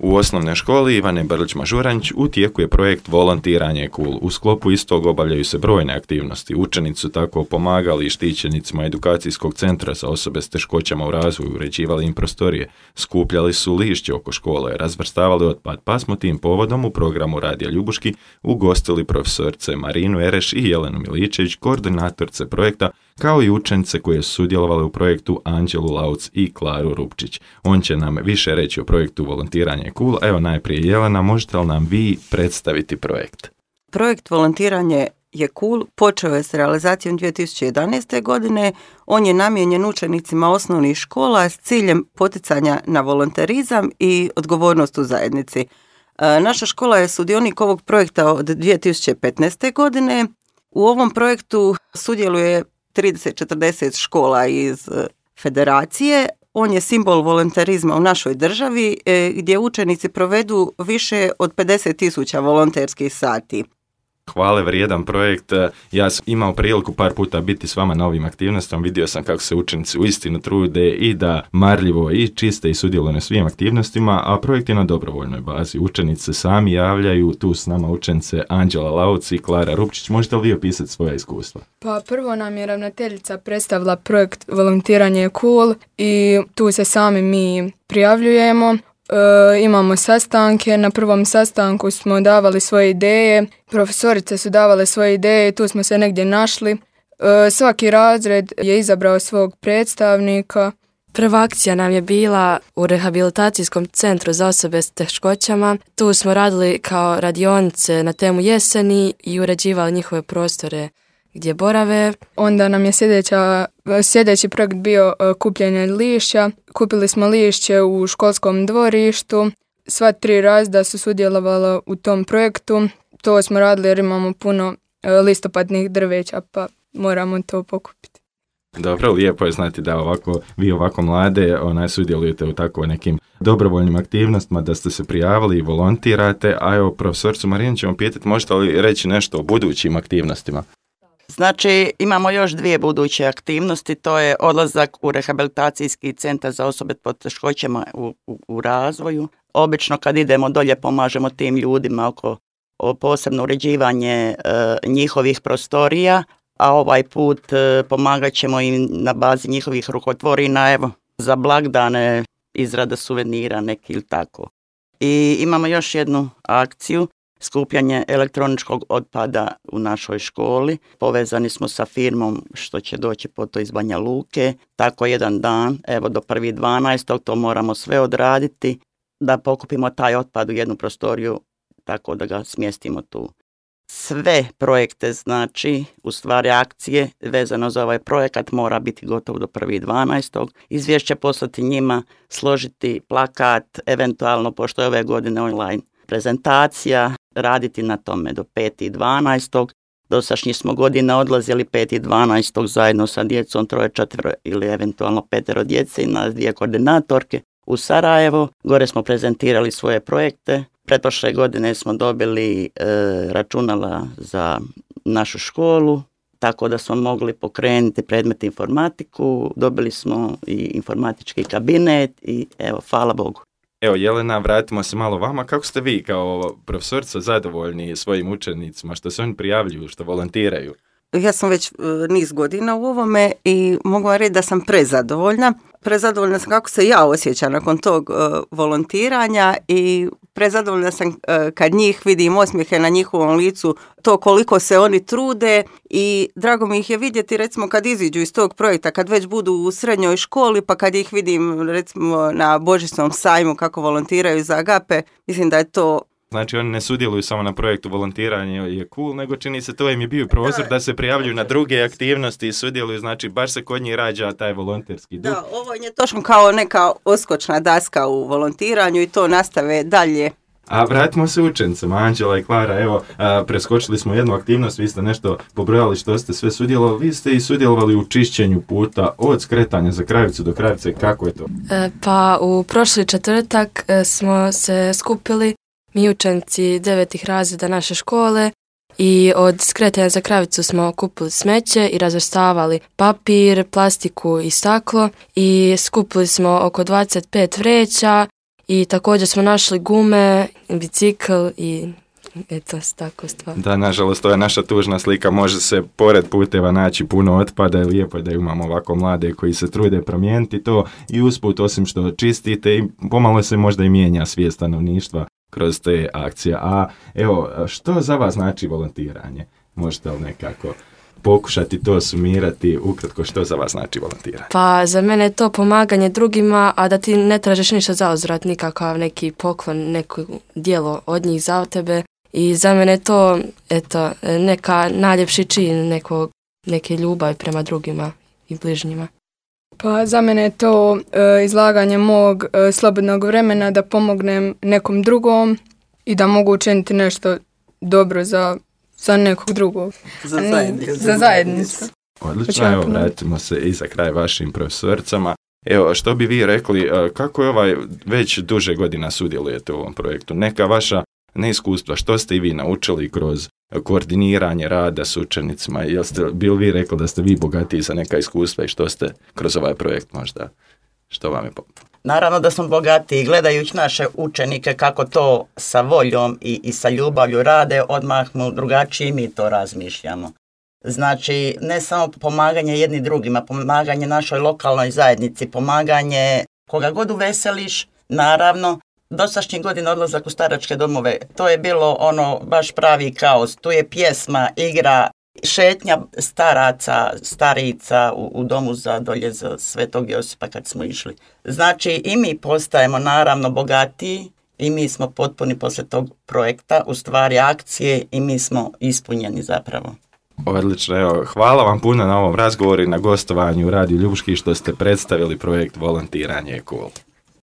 U osnovnoj školi Ivane Brlić-Mažuranć u tijeku je projekt Volontiranje je cool. U sklopu istog obavljaju se brojne aktivnosti. Učenici su tako pomagali i štićenicima edukacijskog centra za osobe s teškoćama u razvoju, uređivali im prostorije, skupljali su lišće oko škole, razvrstavali otpad, pa smo tim povodom u programu Radija Ljubuški ugostili profesorice Marinu Ereš i Jelenu Miličević, koordinatorce projekta, kao i učenice koje su sudjelovale u projektu Anđelu Lauc i Klaru Rupčić. On će nam više reći o projektu Volontiranje je cool. Evo najprije Jelena, možete li nam vi predstaviti projekt? Projekt Volontiranje je cool počeo je s realizacijom 2011. godine. On je namijenjen učenicima osnovnih škola s ciljem poticanja na volonterizam i odgovornost u zajednici. Naša škola je sudionik ovog projekta od 2015. godine. U ovom projektu sudjeluje 30-40 škola iz federacije. On je simbol volonterizma u našoj državi gdje učenici provedu više od 50.000 volonterskih sati. Hvale vrijedan projekt. Ja sam imao priliku par puta biti s vama na ovim aktivnostima. Vidio sam kako se učenici uistinu trude i da marljivo i čiste i sudjeluju na svim aktivnostima, a projekt je na dobrovoljnoj bazi. Učenici se sami javljaju, tu s nama učenice Anđela Lauc i Klara Rupčić. Možete li vi opisati svoja iskustva? Pa prvo nam je ravnateljica predstavila projekt Volontiranje je cool i tu se sami mi prijavljujemo. Imamo sastanke, na prvom sastanku smo davali svoje ideje, profesorice su davale svoje ideje, tu smo se negdje našli. Svaki razred je izabrao svog predstavnika. Prva akcija nam je bila u rehabilitacijskom centru za osobe s teškoćama. Tu smo radili kao radionice na temu jeseni i uređivali njihove prostore gdje borave. Onda nam je sljedeći projekt bio kupljenje lišća. Kupili smo lišće u školskom dvorištu. Sva 3 razreda su sudjelovala u tom projektu. To smo radili jer imamo puno listopadnih drveća, pa moramo to pokupiti. Dobro, lijepo je znati da vi ovako mlade sudjelujete u tako nekim dobrovoljnim aktivnostima, da ste se prijavili i volontirate. A evo, profesoricu Marinu ćemo pitati, možete li reći nešto o budućim aktivnostima? Znači, imamo još 2 buduće aktivnosti, to je odlazak u rehabilitacijski centar za osobe s poteškoćama u razvoju. Obično kad idemo dolje pomažemo tim ljudima oko posebno uređivanje njihovih prostorija, a ovaj put pomagat ćemo im na bazi njihovih rukotvorina, evo, za blagdane, izrada suvenira neki ili tako. I imamo još jednu akciju, skupljanje elektroničkog otpada u našoj školi. Povezani smo sa firmom što će doći po to iz Banja Luke. Tako jedan dan, evo do 1.12. to moramo sve odraditi, da pokupimo taj otpad u jednu prostoriju, tako da ga smjestimo tu. Sve projekte, znači, u stvari akcije vezano za ovaj projekat mora biti gotovo do 1.12. Izvješće poslati njima, složiti plakat, eventualno, pošto je ove godine online prezentacija, raditi na tome do 5.12. Dosašnji smo godina odlazili 5.12. zajedno sa djecom, 3, 4 ili eventualno 5 djece i nas 2 koordinatorke u Sarajevo. Gore smo prezentirali svoje projekte. Pretprošle godine smo dobili računala za našu školu, tako da smo mogli pokrenuti predmet informatiku. Dobili smo i informatički kabinet i evo, hvala Bogu. Evo Jelena, vratimo se malo vama. Kako ste vi kao profesorica zadovoljni svojim učenicima, što se oni prijavljuju, što volontiraju? Ja sam već niz godina u ovome i mogu vam reći da sam prezadovoljna. Prezadovoljna sam kako se ja osjećam nakon tog volontiranja i prezadovoljna sam kad njih vidim osmijehe na njihovom licu, to koliko se oni trude i drago mi ih je vidjeti recimo kad iziđu iz tog projekta, kad već budu u srednjoj školi pa kad ih vidim recimo na Božićnom sajmu kako volontiraju za Agape, mislim da je to. Znači oni ne sudjeluju samo na projektu volontiranje je cool, nego čini se to im je bio prozor da se prijavljuju na druge aktivnosti i sudjeluju, znači baš se kod njih rađa taj volonterski duh. Da, ovo je točno kao neka oskočna daska u volontiranju i to nastave dalje. A vratimo se učenicama, Anđela i Klara, evo, preskočili smo jednu aktivnost, vi ste nešto pobrojali što ste sve sudjelovali, vi ste i sudjelovali u čišćenju puta od skretanja za Kravicu do Kravice, kako je to? Pa u prošli četvrtak smo se skupili mi učenici 9. razreda naše škole i od skretanja za Kravicu smo kupili smeće i razvrstavali papir, plastiku i staklo i skupili smo oko 25 vreća I također smo našli gume, bicikl i eto, tako stvar. Da, nažalost, to je naša tužna slika. Može se pored puteva naći puno otpada i lijepo je da imamo ovako mlade koji se trude promijeniti to i usput, osim što čistite, i pomalo se možda i mijenja svijest stanovništva kroz te akcije. A evo, što za vas znači volontiranje? Možete li nekako pokušati to sumirati ukratko, što za vas znači volontiranje? Pa za mene je to pomaganje drugima, a da ti ne tražiš ništa za uzvrat, nikakav neki poklon, neko djelo od njih za tebe. I za mene je to, eto, neka najljepši čin neke ljubavi prema drugima i bližnjima. Pa za mene je to izlaganje mog slobodnog vremena da pomognem nekom drugom i da mogu učiniti nešto dobro za nekog drugog. Za zajednicu. Odlično, evo, vratimo se i za kraj vašim profesorcama. Evo, što bi vi rekli, kako je već duže godina sudjelujete u ovom projektu? Neka vaša neiskustva, što ste i vi naučili kroz koordiniranje rada s učenicima? Bi li vi rekli da ste vi bogatiji za neka iskustva i što ste kroz ovaj projekt možda? Što vam je Naravno da smo bogatiji, gledajući naše učenike kako to sa voljom i sa ljubavlju rade, odmah mu drugačiji mi to razmišljamo. Znači, ne samo pomaganje jedni drugima, pomaganje našoj lokalnoj zajednici, pomaganje koga god uveseliš, naravno. Dosašnjih godina odlazak u staračke domove, to je bilo ono baš pravi kaos. Tu je pjesma, igra, šetnja staraca, starica u domu za dolje za Svetog Josipa kad smo išli. Znači i mi postajemo naravno bogatiji i mi smo potpuni poslije tog projekta, u stvari akcije, i mi smo ispunjeni zapravo. Odlično, evo, hvala vam puno na ovom razgovoru i na gostovanju u Radiju Ljubuški što ste predstavili projekt Volontiranje je cool.